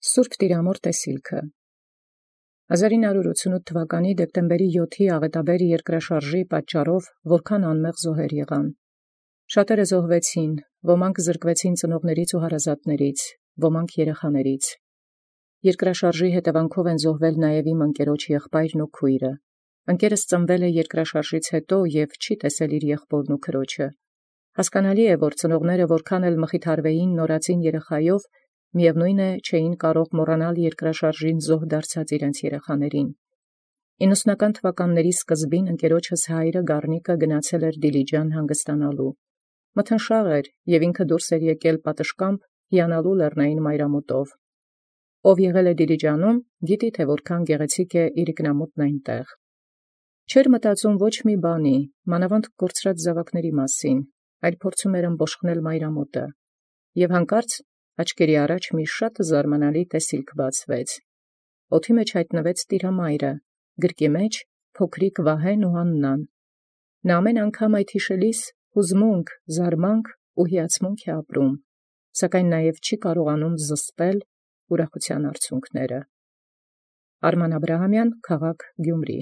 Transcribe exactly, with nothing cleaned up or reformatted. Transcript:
Սուրբ Տիրամոր տեսիլքը հազար նոյ հարյուր ութսունութ թվականի դեկտեմբերի յոթի աղետաբեր երկրաշարժի պատճառով որքան անմեղ զոհեր եղան։ Շատերը զոհվեցին, ոմանք զրկվեցին ծնողներից ու հարազատներից, ոմանք երեխաներից։ Երկրաշարժի հետևանքով են զոհվել նաև իմ ընկերոջ եղբայրն ու քույրը։ Ընկերս ծնվել է երկրաշարժից հետո և չի տեսել իր եղբորն ու քրոջը։ Հասկանալի է, որ ծնողները որքան էլ մխիթարվեին նորածին երեխայով, միևնույն է չէին կարող մոռանալ երկրաշարժին զոհ դարձած իրենց երեխաներին։ իննսունական թվականների սկզբին ընկերոջս հայրը Գառնիկը գնացել էր Դիլիջան հանգստանալու։ Մթնշաղ էր, և ինքը դուրս էր եկել պատշգամբ հիանալու լեռնային մայրամուտով։ Ով եղել է Դիլիջանում, գիտի, թե որքան գեղեցիկ է իրիկնամուտն այնտեղ։ Չէր մտածում ոչ մի բանի, մանավանդ կորցրած զաւակների մասին, այլ փորձում էր ըմբոշխնել մայրամուտը։ Եւ հանկարծ աչքերի առաջ մի շատ զարմանալի տեսիլք բացվեց։ Օդի մեջ հայտնվեց Տիրամայրը, գրկի մեջ փոքրիկ Վահեն ու Աննան։ Նա ամեն անգամ այդ յիշելիս հուզմունք, զարմանք ու հիացմունք է ապրում, սակայն նաև չի կարողանում զսպել ուրախութեան արցունքները։ Արման Աբրահամյան, քաղաք Գյումրի։